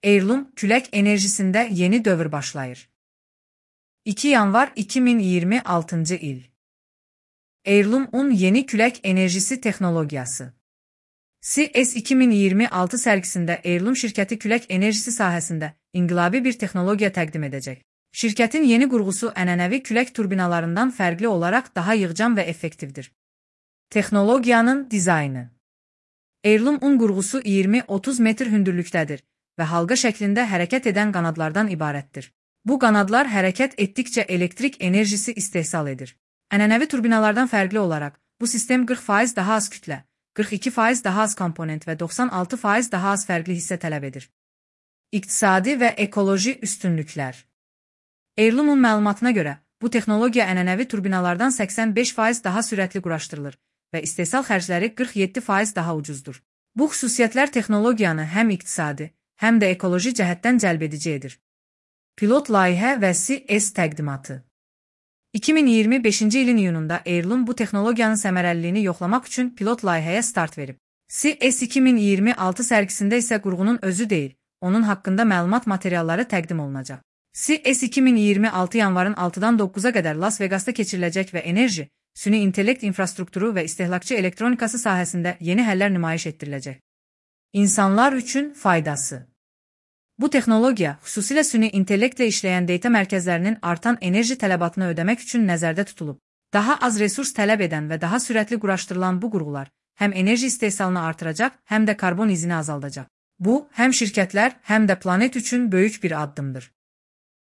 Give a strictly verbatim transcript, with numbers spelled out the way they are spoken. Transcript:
Heirloom külək enerjisində yeni dövr başlayır. iki yanvar iki min iyirmi altıncı il. Heirloom-un yeni külək enerjisi texnologiyası. C E S iki min iyirmi altı sərgisində Heirloom şirkəti külək enerjisi sahəsində inqilabi bir texnologiya təqdim edəcək. Şirkətin yeni qurğusu ənənəvi külək turbinalarından fərqli olaraq daha yığcam və effektivdir. Texnologiyanın dizaynı. Heirloom-un qurğusu iyirmi otuz metr hündürlükdədir və halqa şəklində hərəkət edən qanadlardan ibarətdir. Bu qanadlar hərəkət etdikcə elektrik enerjisi istehsal edir. Ənənəvi turbinalardan fərqli olaraq, bu sistem qırx faiz daha az kütlə, qırx iki faiz daha az komponent və doxsan altı faiz daha az fərqli hissə tələb edir. İqtisadi və ekoloji üstünlüklər. Heirloom-un məlumatına görə, bu texnologiya ənənəvi turbinalardan səksən beş faiz daha sürətli quraşdırılır və istehsal xərcləri qırx yeddi faiz daha ucuzdur. Bu xüsusiyyətlər texnologiyanı həm iqtisadi, həm də ekoloji cəhətdən cəlbedici edir. Pilot layihə və C E S təqdimatı. iki min iyirmi beşinci ilin iyununda Heirloom bu texnologiyanın səmərəliliyini yoxlamaq üçün pilot layihəyə start verib. C E S iki min iyirmi altı sərgisində isə qurğunun özü deyil, onun haqqında məlumat materialları təqdim olunacaq. C E S iki min iyirmi altı yanvarın altıdan doqquza qədər Las Vegasda keçiriləcək və enerji, süni intellekt infrastrukturu və istehlakçı elektronikası sahəsində yeni həllər nümayiş etdiriləcək. İnsanlar üçün faydası. Bu texnologiya, xüsusilə süni intellektlə işləyən data mərkəzlərinin artan enerji tələbatını ödəmək üçün nəzərdə tutulub. Daha az resurs tələb edən və daha sürətli quraşdırılan bu qurğular həm enerji istehsalını artıracaq, həm də karbon izini azaldacaq. Bu, həm şirkətlər, həm də planet üçün böyük bir addımdır.